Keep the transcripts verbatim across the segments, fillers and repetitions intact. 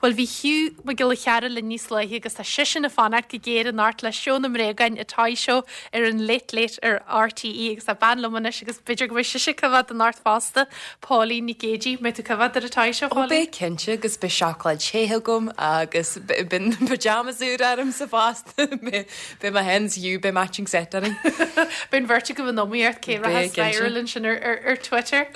Well bhí Hugh Mac Giolla Chearra linn níos luaithe agus tá seisean ag fanacht go géar anocht le seó na mbréagán A Toy Show ar an Late Late ar RTÉ agus tá bean liom anois agus b'fhéidir go bhfuil sise ag coimhéad anocht fosta Pauline Nic Géadaigh mbeidh tú ag coimhéad ar A Toy Show Ó beidh cinnte agus beidh seacláid te agam agus beidh pyjamas úr ormsa fosta Beidh mé féin is Hugh beidh matching set orainn. Beidh an bheirt agaibh in iomaíocht cé Beidh cinnte. viral sin ar, ar, ar Twitter.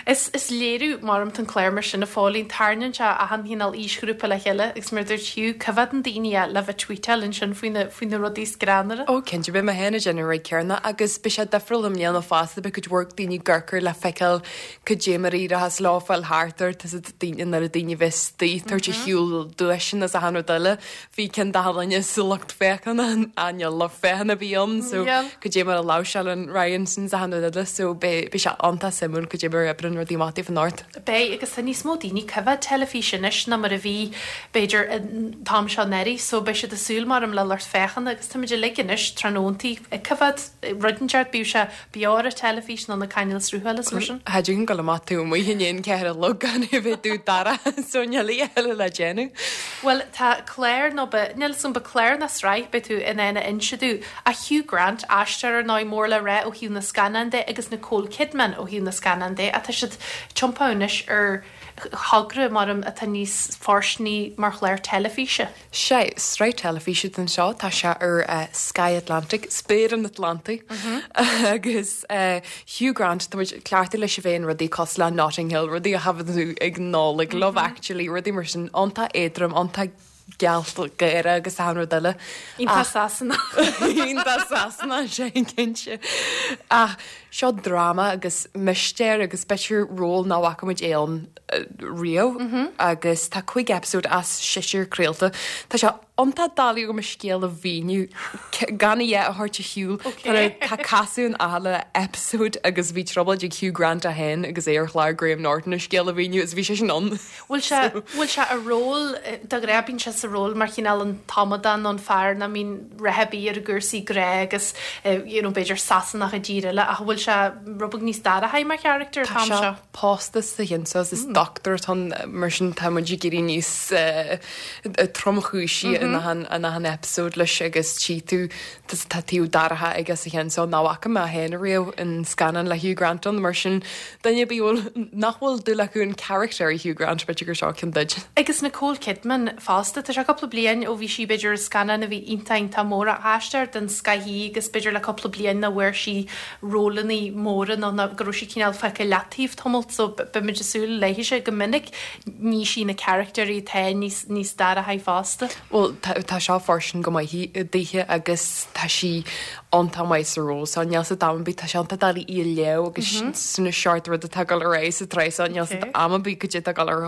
Is, is léiriú mar an clár mar sin a Phauline tarraingíonn sé achan chineál aoisghrúpa le chéile agus mar dúirt Hugh coimhéadann daoine le bheith tweetáil ansin faoi na faoi na rudaí greannmhara. Ó cinnte beidh mé féin ag déanamh rud céanna agus beidh sé difriúil i mbliana fosta beidh cuid mhór daoine ag amharc le feiceáil cad é mar a éireochas leo fáil thart ar daoine nuair a daoine bheith istigh tabhairt ar shiúl duaiseanna is achan rud eile. Bhí ceann daoine sa lucht féachana níl lucht féachana bhí ann so Yeah. cad é mar a láimhseálann Ryan sin is achan rud eile so beidh sé iontach suimiúil cad é mar a oibríonn rudaí amach anocht. Beidh agus tá níos mó daoine coimhéad teilifís anois ná mar a bhí b'fhéidir an t-am seo anuraidh, so beidh siad ag súil mar am le lucht féachana agus táimid uilig anois tráthnóntaí ag coimhéad rud inteacht bíodh sé beo ar an teilifís nó na cainéil sruthála mar sin. Cha dtig dul amach tú amuigh in aon ceathair a chlog gan a bheith dubh dorcha so níl eile le déanamh. Well tá clár nó níl san ba clár ná sraith beidh tú in ann a inse dúinn a Hugh Grant aisteoir ar ndóigh mór le rá ó thaobh na scannán de agus Nicole Kidman ó thaobh na scannán de atá siad tiompaithe anois ar thogra mar atá níos fóirsteanaí mar chlár teilifíse. Sé sraith teilifíse den seo tá sé ar uh, Sky Atlantic, Spéir an Atlantaigh mm -hmm. agus uh, Hugh Grant tá cleachta leis a bheith rudaí cosúil le Notting Hill rudaí a thaifead tú ag Nollaig mm -hmm. Love Actually rudaí mar sin iontach éadrom iontach gealgháireach agus achan rud eile. Iontach Sasanach. Iontach Sasanach sé cinnte. Ach seo dráma agus mistéir agus b'fhéidir ról nach bhfaca muid é ann riamh mm -hmm. agus tá cúig episode as seisear craolta. Tá sé iontach doiligh agam scéal a mhíniú gan é a thabhairt ar shiúl Tá casadh in achan episode agus bhí trioblóid ag Hugh Grant a haon agus é ar chlár Graham Norton a scéal a mhíniú is bhí sé sin ann. Bhfuil sé bhfuil sé a ról de ghnáth bíonn sé sa ról mar chineál an t-amadán an fear nach mbíonn rath ar bith ar a gcúrsaí grá agus you know, b'fhéidir Sasanach i dtír eile ach bhfuil sé rud beag níos dorcha mar character Tá sé pósta sa cheann seo is doctor ann mar sin tá muid ag éirí níos tromchúisí in achan in achan episode leis agus tí tú tá taobh dorcha aige sa cheann seo nach bhfaca mé féin riamh in scannán le Hugh Grant ann mar sin duine bí nach bhfuil dúil acu an character Hugh Grant b'fhéidir gur seo ceann duit. Agus Nicole Kidman fosta tá sé cúpla bliain ó bhí sí b'fhéidir scannán a bhí iontach mór aisteoir den scoth agus b'fhéidir le cúpla bliain nach bhfuair sí rólanna móra nó go raibh sí cineál fágtha leataobh tamall so beimid ag súil léi sé go minic ní sí na characterí te níos níos dorcha fosta. Well tá seo fóirsteanach go maith daoithe agus tá sí iontach maith sa ról so níl sa am bí tá sé iontach doiligh í a léamh agus sna seort rud atá ag dul ar aghaidh sa tsraith so níl sa am bí go dtí tá gal ar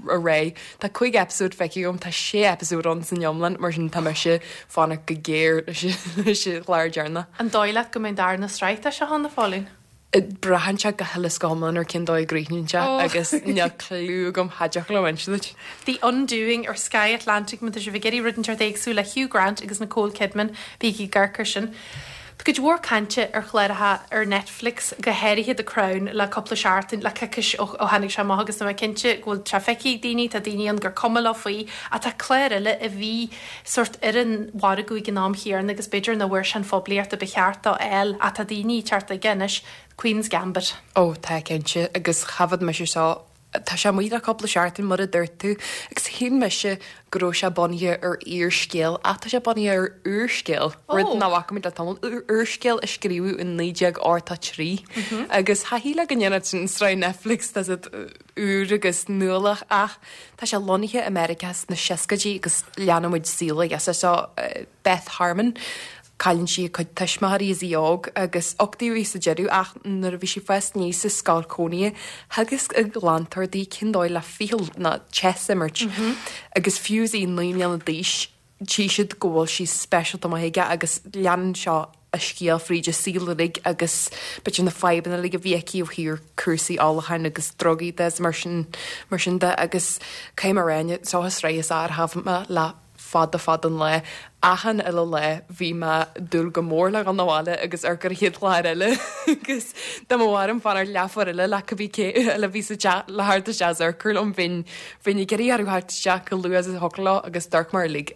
a ré. Tá cúig episode feicthe agam tá sé episode ann san iomlán mar sin tá mise fanacht go géar leis an chlár deireanach. An dóigh leat go mbeidh darna sraith seo ann a Phauline? Braitheann sé go huile is go hiomlán ar cén dóigh a gcríochnaíonn sé agus níl clue agam haideach le duit. The Undoing ar Sky Atlantic má tá sibh ag iarraidh rud inteacht éagsúil le Hugh Grant agus Nicole Kidman bígí ag amharc air sin. Tá cuid mhór cainte ar chláracha ar Netflix go háirithe The Crown le cúpla seachtain le coicís ó tháinig sé amach agus tá mé cinnte go bhfuil sé feicthe ag daoine tá daoine an gur cuma leo faoi ach tá clár eile a bhí sort ar an mhargadh ag an am chéanna agus b'fhéidir nach bhfuair sé an phoiblíocht a ba cheart dó fháil ach tá daoine teacht aige anois Queen's Gambit. Ó tá cinnte agus thaifead mise seo Tá sé amuigh le cúpla seachtain mar a dúirt tú agus shíl mise go raibh sé bunaithe ar fhíorscéal ach tá sé bunaithe ar úrscéal rud nach bhfaca muid le tamall úrscéal a scríobhadh in naoi déag ochtó trí agus cha shílfeá go ndéanfadh sin sraith Netflix tá siad úr agus nuálach ach tá sé lonnaithe i Meiriceá sna seascaidí agus leanann muid saol agus seo Beth Harmon Cailleann sí a cuid tuismitheoirí is í óg agus uchtaíodh í sa deireadh ach nuair a bhí sí ag fás aníos sa scoil cónaithe theagasc a glantóir di cén dóigh le ficheall ná chess a imirt agus fiú is í naoi mbliana d'aois tchí siad go bhfuil sí speisialta maith aige agus leanann seo a scéal fríd a saol uilig agus b'fhéidir na fadhbanna uilig a bhí aici ó thaobh cúrsaí ólacháin agus drugaí de mar sin mar sin de agus caithfidh mé a rá seo an tsraith is fearr a thaifead mé le fada fada an lá. Achan uile lá bhí mé dúil go mór le dhul abhaile agus amharc ar an chéad chlár eile agus dá mba mhaith liom fanacht leathuair eile le cibé cé eile a bhí sa teach le theacht isteach is amharc liom bheinn bheinn ag iarraidh orthu theacht isteach chomh luath is a thiocfadh leo agus d'amharc mé uilig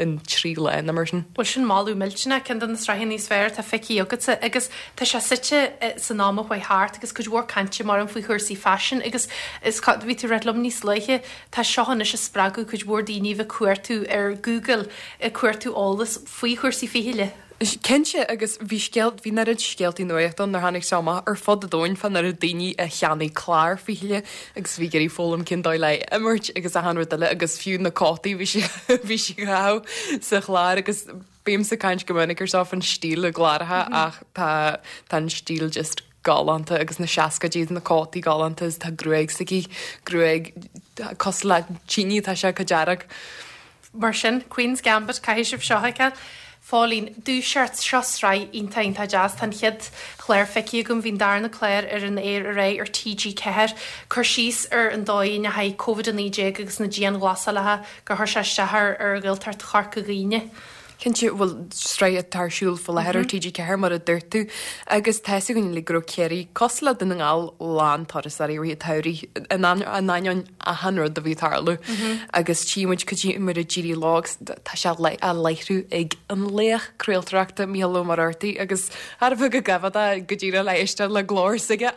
in trí lá nó mar sin. Bhuel sin moladh millteanach, ceann de na sraitheanna níos fearr atá feicthe agatsa agus tá sé suite san am a chuaigh thart agus cuid mhór cainte mar an faoi chúrsaí faisin agus is bhí tú ag ráit liom níos luaithe tá seo anois ag spreagadh cuid mhór daoine a bheith ag cuartú ar Google ag cuartú eolas faoi chúrsaí fichille. Cinnte agus bhí scéal bhí an oiread scéaltaí nuachta ann nuair tháinig sé amach ar fud an domhain fán oiread daoine a cheannaigh clár fichille agus bhí ag iarraidh foghlaim cén dóigh le imirt agus achan rud eile agus fiú na cótaí bhí sí bhí sí á gcaitheamh sa chlár agus bímse ag caint go minic ar seo fan stíl i gcláracha ach tá tá an stíl just galánta agus na seascaidí na cótaí galánta is tá gruaig s'aici gruaig cosúil le tine tá sé go dearg. Mar sin, Queen's Gambit, caithfidh sibh seo a fheiceáil. Phóilín, Dúiseart, seo sraith iontach iontach deas. Tá an chéad chlár feicthe agam, bhí an darna clár ar an aer aréir ar T G ceathair. Cur síos ar an dóigh a ndeachaigh Covid a naoi déag agus na dianghlasálacha gur chuir sé isteach ar ar Ghaeltacht Chorca Dhuibhne. Cinnte, bhuel, sraith atá ar siúl faoi láthair ar T G ceathair mar a dúirt tú, agus tá 'fhios againn uilig go raibh Ciarraí, cosúil le Dún na nGall, lán turasóirí i rith an tsamhraidh, in ainneoin achan rud a bhí ag tarlú. Agus tchí muid cad é mar a d'éirigh leo agus tá sé á láithriú ag an laoch craoltóireachta Mícheál Ó Muircheartaigh agus thar a bheith go gaibh go díreach le éisteacht le glór s'aige.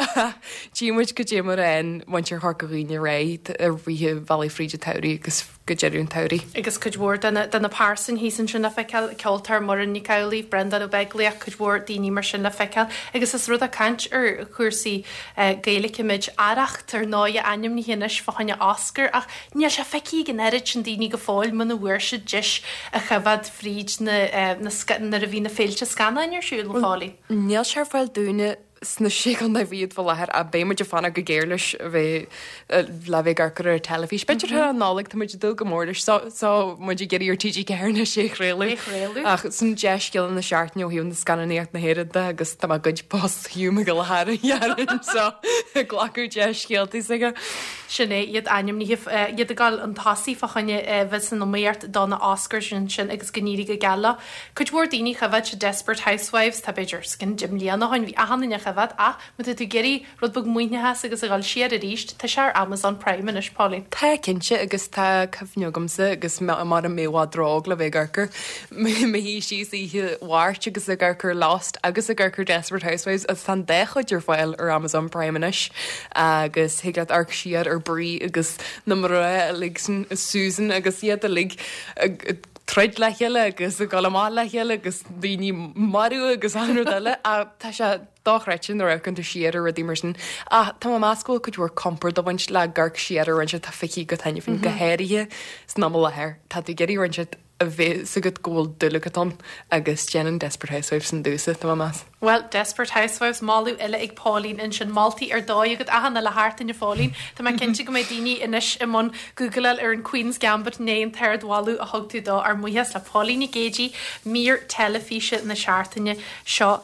Tchí muid cad é mar a fhaigheann muintir Chorca Dhuibhne ar aghaidh ar rith an bhealaigh fríd an tsamhraidh agus go deireadh an tsamhraidh. Agus cuid mhór de na de na pearsain thíos ansin le feiceáil, ceoltóir Muireann Nic Amhlaoibh, Breandán Ó Beaglaoich, cuid mhór daoine mar sin le feiceáil. Agus is rud é caint ar chúrsaí Gaeilge muid, Arracht ar ndóigh ainmnithe anois fá choinne Oscar ach níl sé feicthe ag an oiread sin daoine go fóill muna bhfuair siad deis a choimhéad fríd na na nuair a bhí na féilte scannáin ar siúl, a Phóilín. Níl sé ar fáil dúinne sna sé chontae fichead faoi láthair ach beidh muid ag fanacht go géar leis a bheith le bheith ag amharc air ar an teilifís. B'fhéidir thar an Nollaig tá muid ag dúil go mór leis so so muid ag iarraidh ar T G ceathair anois é a chraoladh. É a chraoladh. Ach sin dea-scéala na seachtaine ó thaobh na scannánaíocht na hÉireann de agus tá mé ag goid post Hugh Mac Giolla Chearra dhearfainn so ag glacadh dea-scéaltaí s'aige. Sin é iad ainmnithe iad ag dul chun tosaigh fá choinne bheith san iomaíocht do na Oscars ansin agus go n-éirí go geal leo. Cuid mhór daoine choimhéad siad Desperate Housewives, tá b'fhéidir os cionn deich mbliana ó shin, bhí achan duine á choimhéad ach má tá tú ag iarraidh rud beag maoithneachas agus a dhul siar arís, tá sé ar Amazon Prime anois, Pauline. Tá, cinnte, agus tá cuimhne agamsa agus mar a mé i bhfad ró-óg le bheith ag amharc air, mé i mo shuí síos oíche Mháirt agus ag amharc ar Lost agus ag amharc ar Desperate Housewives agus tá an dá chuid ar fáil ar Amazon Prime anois agus thig leat amharc siar ar Bree agus na mná uilig sin, Susan agus iad uilig ag troid le chéile agus ag dul amach le chéile agus daoine marbh agus achan rud eile ach tá sé dochreidte nuair a amharcann tú siar ar rudaí mar sin. Ach tá mé ag meas go bhfuil cuid mhór compord ag baint le amharc siar ar rud inteacht atá feicthe agat cheana féin, go háirithe san am i láthair. Tá tú ag iarraidh rud inteacht a bheith 'fhios agat go bhfuil dúil agat ann agus déanann Desperate Housewives sin domhsa, tá mé ag meas. Bhuel, Desperate Housewives, moladh eile ag Pauline ansin, moltaí ar dóigh agat achan uile sheachtain a Phóilín. Tá mé cinnte go mbeidh daoine anois i mbun Googleáil ar an Queen's Gambit i ndiaidh an t-ardmholadh a thug tú dó. Ár mbuíochas le Pauline Nic Géidigh, mír teilifíse na seachtaine seo.